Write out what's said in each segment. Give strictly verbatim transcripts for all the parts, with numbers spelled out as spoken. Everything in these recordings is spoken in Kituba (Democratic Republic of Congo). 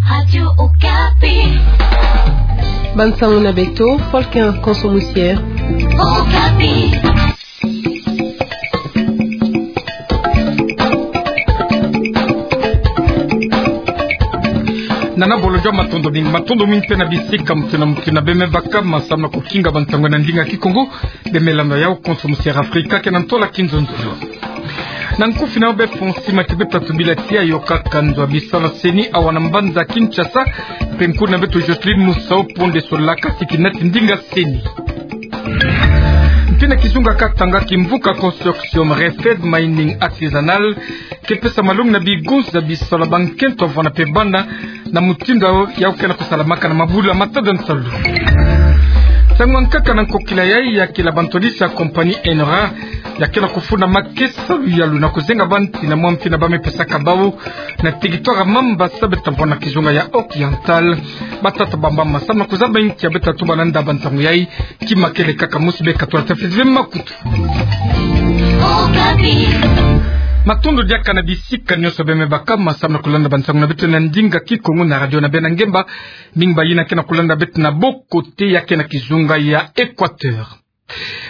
Radio Okapi. Bansango na beto, Paul Ken Konso Musier. Okapi. Nana Bolodjwa, matondo mingi, matondo mingi mpe na bisika mutindu na mutindu beme baka ma samu na kukinga bansango na ndinga Kikongo. Beme landa yau Konso Musier Afrika, ke na ntola kinzonzolo. Na nkufi na yo be fonsi mati beto tubila tia yo kaka nzo ya bisalu ya CENI awa na mbanza Kinshasa, mpe nkuna beto Jocelyne Musau Ponde solaka siki nati ndinga CENI. Mpi na kizunga Katanga, kimvuka consortium Refed Mining Artisanal ke pesa malongi na bigunza bisalu ya bankento avwanda mpe bana na mutindu yau ke na kusalamaka na mabula matadi ya nsalu. Nsangu ya nkaka na nkokila yai ya kila bantu ya lisi ya compagnie Enora ya ke na kufunda makesa luyalu na kuzenga banti na mwa mfi na bame pesaka bau na territoire Mambasa, beto vwanda na kizunga ya Oriental. Batata bamba ma samu na kuzaba nkia beto tuba na nda bansangu yai. Kima kele kaka mosi, beka tula tafiti ve makutu. Matondo diaka na bisika nyonso beme baka ma samu na kulanda bansangu na beto na ndinga Kikongo na radio na beno ya ngemba. Mingi bayina ke na kulanda beto na bokote ya ke na kizunga ya Equateur.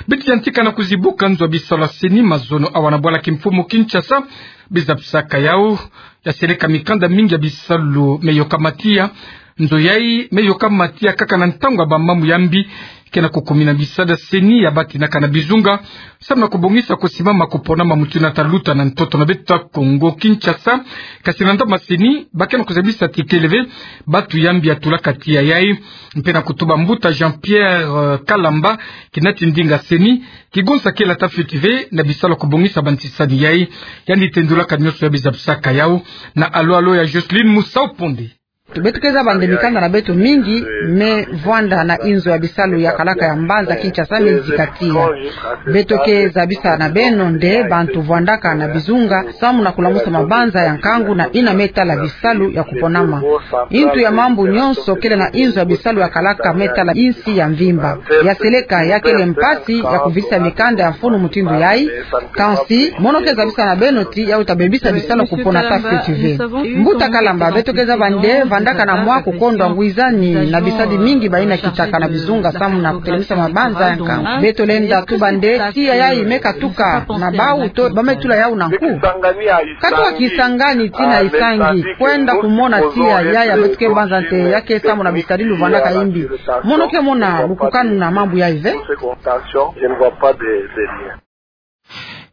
Beto yantika na kuzibuka nzo ya bisalu ya CENI mazono awa na bwala kimfumu Kinshasa. Bizabisaka yau ya seleka mikanda mingi ya bisalu me yoka matiya. Nzo yai me yoka matiya kaka na ntangu ya bamambu ya mbi ke na kukumina bisadi ya CENI ya batinaka na bizunga samu na kubongisa kusimama kuponama mutindu ya taluta na ntoto na beto ya Kongo Kinshasa. Kasi na ndambu ya CENI ba ke na kuzabisa tikele ve bantu ya mbi ya tulaka tiya yai, mpe na kutuba mbuta Jean-Pierre, euh, Kalamba, ki nati ndinga CENI, ki gonsa kela tafiti ve na bisalu ya kubongisa bantisani yai. Yandi tendulaka nyonso ya bizabisaka yau na alo-alo ya Jocelyne Musau Ponde. Beto ke zaba nde mikanda na beto mingi me vwanda na inzo ya bisalu ya kalaka ya mbanza Kinshasa me zika tiya. Beto ke zabisa na beno nde bantu vwandaka na bizunga samu na kulamusa mabanza ya nkangu na yina me tala bisalu ya kuponama. Ntu ya mambu nyonso kele na inzo ya bisalu ya kalaka me tala insi ya mvimba. Ya seleka ya kele mpasi ya kuvisa mikanda ya mfunu mutindu yai. Kansi mono ke zabisa na beno ti yau ta bebisa bisalu ya kupona tafiti ve. Mbuta Kalamba, beto ke zaba nde vandaka na mwa kukondwa ngwizani na bisadi mingi bayina kitaka na bizunga samu na kutelemisa mabanza ya nkangu. Beto lenda tuba nde tiya yai me katuka na bau to ba me tula yau na nku? Katuka Kisangani tii na Isangi kwenda kumona tiya yai, beto ke banza nde ya ke samu na bisadi luvandaka yimbi. Mono ke mona lukukanu na mambu yai ve?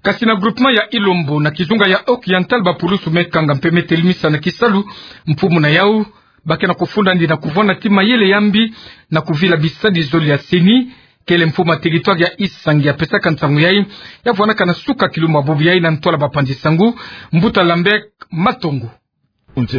Kasi na groupement ya Ilombo na kizunga ya Oriental, bapulusu me kanga mpe me telemisa na kisalu mfumu na yau. Ba ke na kufunda ndi na kuvwanda ti mayele ya mbi na kuvila bisadi zole ya CENI. Kele mfumu ya territoire ya Isangi ya pesaka nsangu yai, ya vwandaka na suka kilumbu ya bubu yai na ntwala bapanzi nsangu, mbuta Lambert Matongo.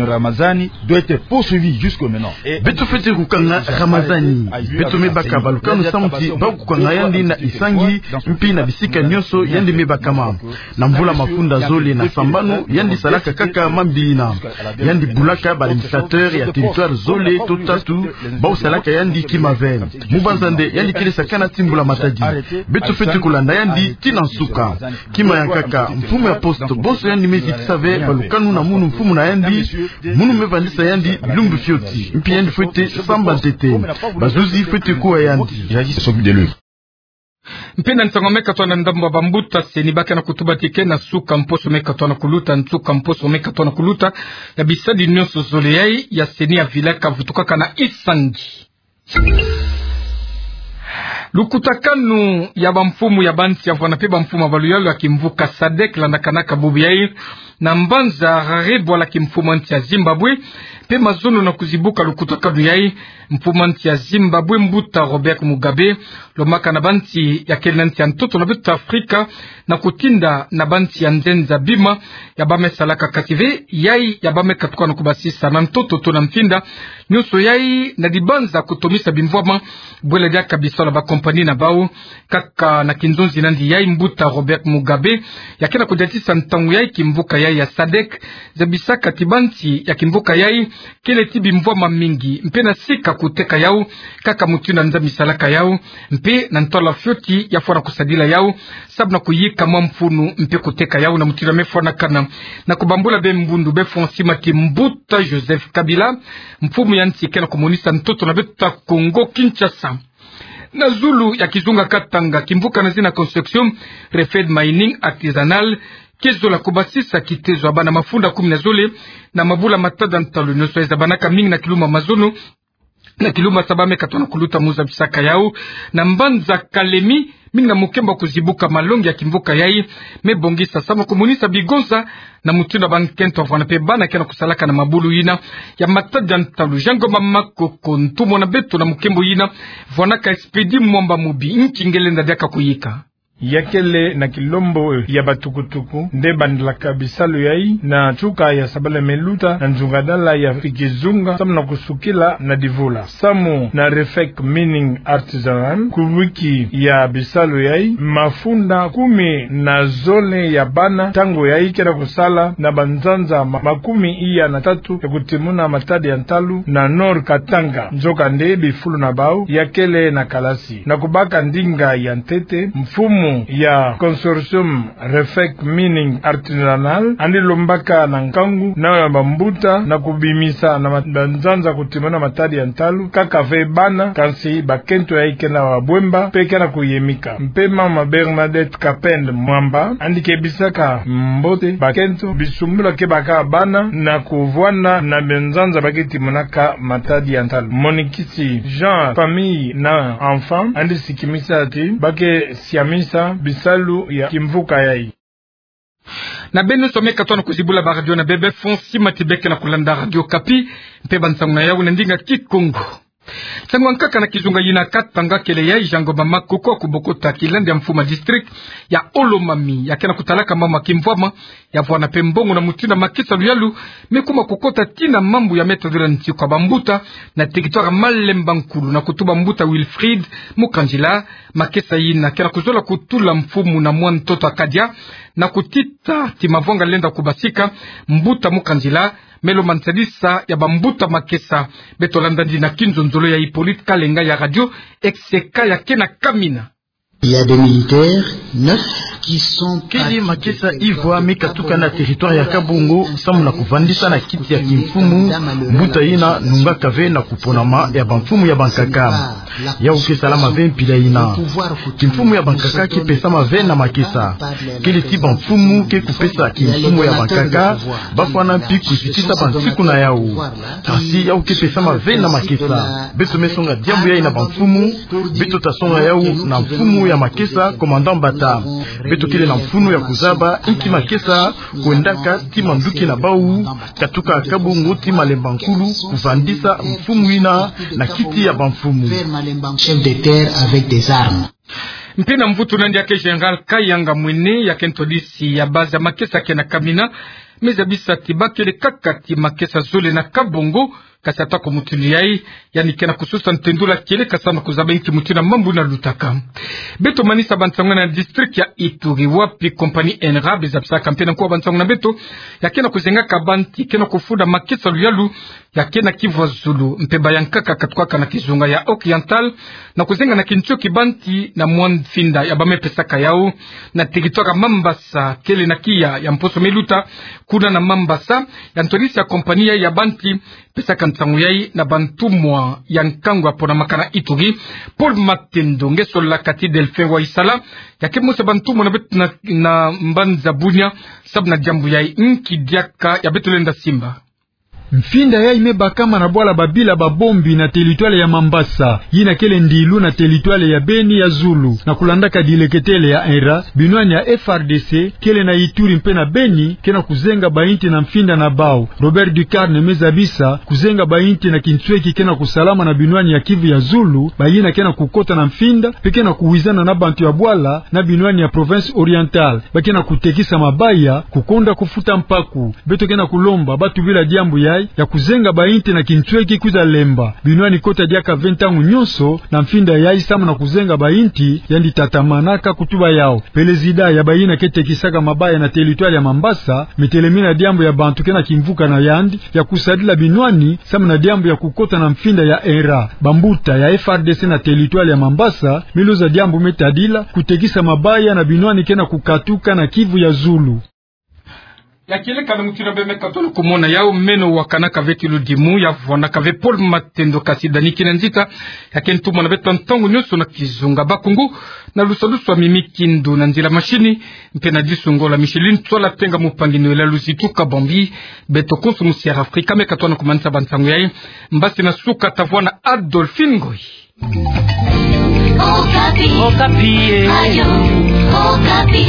Ramazani doit être poursuivi jusque maintenant. Beto fwete kukanga Ramazani. Beto me baka balukanu samu ti ba kukanga yandi na Isangi, mpi na bisika nyonso yandi me bakama. Na mvula mafunda zole na sambanu, yandi salaka kaka mambi yina. Yandi bulaka ba administrateur ya territoire zole to tatu, bau salaka yandi kima ve. Mubanza nde yandi kele sakana ti mbula matadi. Beto fwete kulanda yandi tii na nsuka. Kima ya nkaka, mfumu ya poste bonso yandi me zitisa ve balukanu na munu mfumu na yandi, munu me vandisa yandi bilumbu fioti. Mpi yandi fwete samba ntete. Bazuzi fwete kuwa yandi. Mpe na nsangu me katuka na ndambu ya bambuta CENI, ba ke na kutuba ti ke na suka mposo me katuka na kuluta, nsuka mposo me katuka na kuluta ya bisadi nyonso zole yai ya CENI ya vilaka vutukaka na Isangi. Lukutakanu ya bamfumu ya bansi ya vwanda mpe bamfumu ya baluyalu ya kimvuka SADC landakanaka bubu yai na mbanza Harare, bwala kimfumu ya nsi ya Zimbabwe. Mpe mazono na kuzibuka lukutakanu yai, mfumu ya nsi ya Zimbabwe, mbuta Robert Mugabe, lomaka na bansi ya kele na nsi ya ntoto na beto Afrika na kutinda na bansi ya nzenza bima ya ba me salaka kasi ve yai ya ba me katuka na kubasisa na ntoto to na mfinda nyonso yai na dibanza kutomisa bimvwama bwela diaka bisalu ya ba kimpani na bau. Kaka na kinzonzi na yandi yai, mbuta Robert Mugabe, ya ke na kudiatisa ntangu yai kimvuka yai ya sadek, zabisaka ti bansi ya kimvuka yai kele ti bimvwama mingi, mpe na sika kuteka yau, kaka mutindu nza misalaka yau, mpe na ntwala fioti ya fwana kusadila yau, sabu na kuyika mwa mfunu mpe kuteka yau na mutindu ya me fwanakana. Na kubambula be mbundu be fwa nsi mati mbuta Joseph Kabila, mfumu ya nsi ke na kumonisa ntoto na beto ta Congo Kinshasa. Na zulu ya kizunga Katanga, kimvuka na zina Construction Refed Mining Artisanal, ke zola kubasisa kitezo ya bana mafunda kumi na zole na mabula matadi ya ntalu nionso ya zabanaka mingi na kilumbu mazono, na kilumbu saba me katona kuluta mu zabisaka yau. Na mbanza Kalemi, mingi na mukembo kuzibuka malongi ya kimvuka yai me bongisa samu kumonisa bigonza na mutindu ya bankento ya fwana mpe bana ke na kusalaka na mabulu yina ya matadi ya ntalu. Jean Ngoma Makoko, ntumwa na beto na mukembo yina, fwanaka Expedit Mwamba Mubi, nki nge lenda diaka kuyika. Ya kele na kilombo ya batukutuku nde bandilaka bisalu yai na nsuka ya sabala me luta na nzungadala ya kizunga samu na kusukila na divula. Samu na Refec Mining Artisanal, kubiki ya bisalu yai, mafunda kumi na zole ya bana ntangu yai ke na kusala na banzanza ma-, makumi iya na tatu ya kutimuna matadi ya ntalu na Nord Katanga. Nzokande bifulu na bau ya kele na kalasi. Na kubaka ndinga ya ntete, mfumu ya Consortium Refec Mining Artisanal andi lombaka na nkangu na bambuta na kubimisa na ma-, banzanza kutimuna matadi ya ntalu, kaka ve bana, kansi bakento yai ke na bwemba mpe ke na kuyemika. Mpe mama Bernadette Kapend Mwamba andi kebisaka mbote bakento bisumbula ke baka bana na kuvwanda na banzanza ba ke timunaka matadi ya ntalu. Monikisi Jean, Famille na Enfant andi sikimisa ti ba ke siamisa bisalu ya kimvuka yai. Na beno nionso me katona kuzibula ba radio na bebe fwa nsi mati, beno ke na kulanda Radio Okapi mpe bansangu na yau na ndinga Kikongo. Nsangu ya nkaka na kizunga yina Katanga kele yai Jean Ngoma Makoko kubokota kilandi ya mfumu ya district ya Haut-Lomami, ya ke na kutalaka mambu ya kimvwama ya fwana mpe mbongo na mutindu ya makesa luyalu me kuma kukota tii na mambu ya meta dura nsi kwa bambuta na territoire Malemba Nkulu, na kutuba mbuta Wilfried Mukanzila. Makesa yina ke na kuzola kutula mfumu na mwa ntoto ya kadia na kutita ti mavwanga lenda kubasika. Mbuta Mukanzila me lomba nsadisa ya bambuta makesa. Beto landa yandi na kinzonzolo ya Hippolyte Kalenga ya radio X C K ya ke na kamina. Il y a des militaires neufs qui sont partis de territoire. Kele makesa ivwa me katuka na territoire ya Kabongo samu na kuvandisa na kiti ya kimfumu mbuta yina nungaka ve na kuponama ya bamfumu ya bankaka. Yau ke salama ve mpila yina. Kimfumu ya bankaka ke pesama ve na makesa. Kele ti bamfumu ke kupesa kimfumu ya bankaka, ba fwana mpi kuzitisa bansiku na yau. Kansi yau ke pesama ve na makesa. Beto me songa diambu yai na bamfumu, beto ta songa yau na mfumu ya makesa, commandant Bata. Beto kele na mfunu ya kuzaba inki makesa kwendaka ti manduki na bau, katuka Kabongo ti Malemba Nkulu, kuvandisa mfumu yina na kiti ya bamfumu. Chef de terre avec des armes. Mpe na mvutu na yandi ya ke Général Kayanga Mwene, ya ke ntwadisi ya base ya makesa ke na kamina, me zabisa ti ba kele kaka ti makesa zole na Kabongo, kasi ata ko mutindu yai, yandi ke na kususa ntendula kieleka samu na kuzaba inki mutindu ya mambu yina lutaka. Beto manisa bansangu na district ya Ituri, wapi compagnie ENRA be zabisaka mpe na nkuwa bansangu na beto, ya ke na kuzengaka banti ke na kufunda makesa luyalu ya ke na kivwa zulu, mpe bayankaka katukaka na kizunga ya Oriental, na kuzenga na kintioki banti na mwa mfinda ya ba me pesaka yau na territoire Mambasa, kele na kiya ya mposo me luta, kuna na Mambasa, ya ntwadisi ya compagnie ya banti pesaka nsangu yai na bantumwa ya nkangu ya ponamaka na Ituri, Paul Matendo. Nge solaka ti Delphin Waisala, ya ke mosi ya bantumwa na beto na, na mbanza Bunia, sabu na diambu yai, inki diaka ya beto lenda simba. Mfinda yai me bakama na bwala ba bila ba bombi na territoire ya Mambasa, yina kele ndilu na territoire ya Beni ya zulu. Na kulandaka dileketele ya ENRA, binwani ya F R D C kele na Ituri mpe na Beni ke na kuzenga bainti na mfinda na bau. Robert Ducarne me zabisa kuzenga bainti na kintioki ke na kusalama na binwani ya Kivu ya zulu, bayina ke na kukota na mfinda mpe ke na kuwizana na bantu ya bwala na binwani ya province Orientale. Ba ke na kutekisa mabaya, kukonda kufuta mpaku. Beto ke na kulomba ba tubila diambu ya ya kuzenga bainti na kintweki kwiza lemba binwani kota diaka ve ntangu nyonso na mfinda yayi samu na kuzenga bainti yandi tatamana ka kutuba yau. Pelezida ya bayina ke tekisaka mabaya na teritware ya Mambasa, mitelemina diambu ya bantu ke na kimvuka na yandi ya kusadila binwani samu na diambu ya kukota na mfinda ya ENRA. Bambuta ya F R D C na teritware ya Mambasa me luzwa diambu me tadila kutekisa mabaya na binwani ke na kukatuka na Kivu ya zulu. Ya kieleka na mutindu bê me katona kumona yau meno wa kanaka ve ti ludimu, ya vwanaka ve Paul Matendo, kasi Dani Kinanzita ya ke ntumwa na beto ntangu nyonso na kizunga. Bakungu, na lusalusu a Mimi Kindu na nzila mashini, mpe na disu ngolo a Micheline Tswala Tenga, mupangi Noëlla Luzitu Kabambi, beto konso musi Air Afrika me katona kumanisa bansangu yayi. Mbasi na suka, ta vwa na Adolphine Ngoyi. Okapi. Okapi, eh. Radio Okapi.